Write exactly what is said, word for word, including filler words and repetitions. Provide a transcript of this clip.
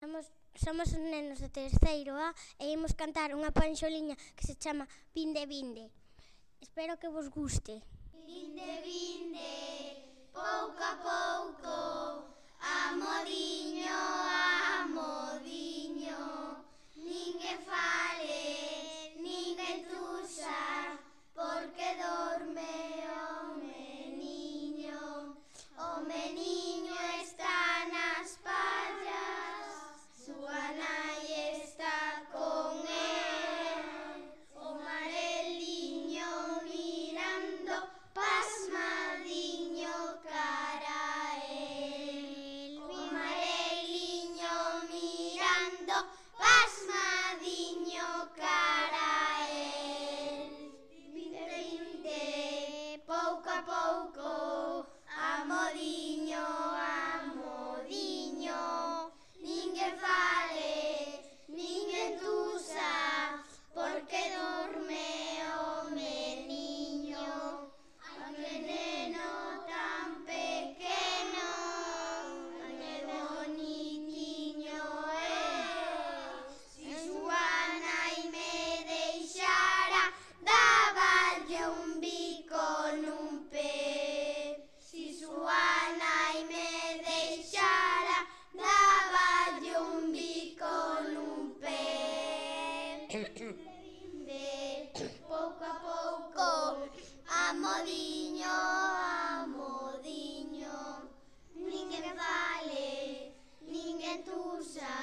Somos, somos os nenos de terceiro A e imos cantar unha panxoliña que se chama Vinde, vinde. Espero que vos guste. Vinde, vinde, pouco a pouco, amodiño, amodiño, ninguén fale, ninguén tuxa, porque dorme o meniño. O meniño está nas pallas, súa nai está con el. O mareliño mirando pasmadiño cara a el. O mareliño mirando pasmadiño cara a el. Vinde, vinde, pouco a pouco, amodiño, amodiño, ninguén fale, ninguén tuxa, porque dorme o meniño. Ai, que neno tan pequeno, ai, que bonitiño é. Si súa nai me deixara, dáballe un bico nun pé. Si súa nai me deixara, dáballe un bico nun pé. Vinde, pouco a pouco, amodiño, amodiño, ninguén fale, ninguén tuxa.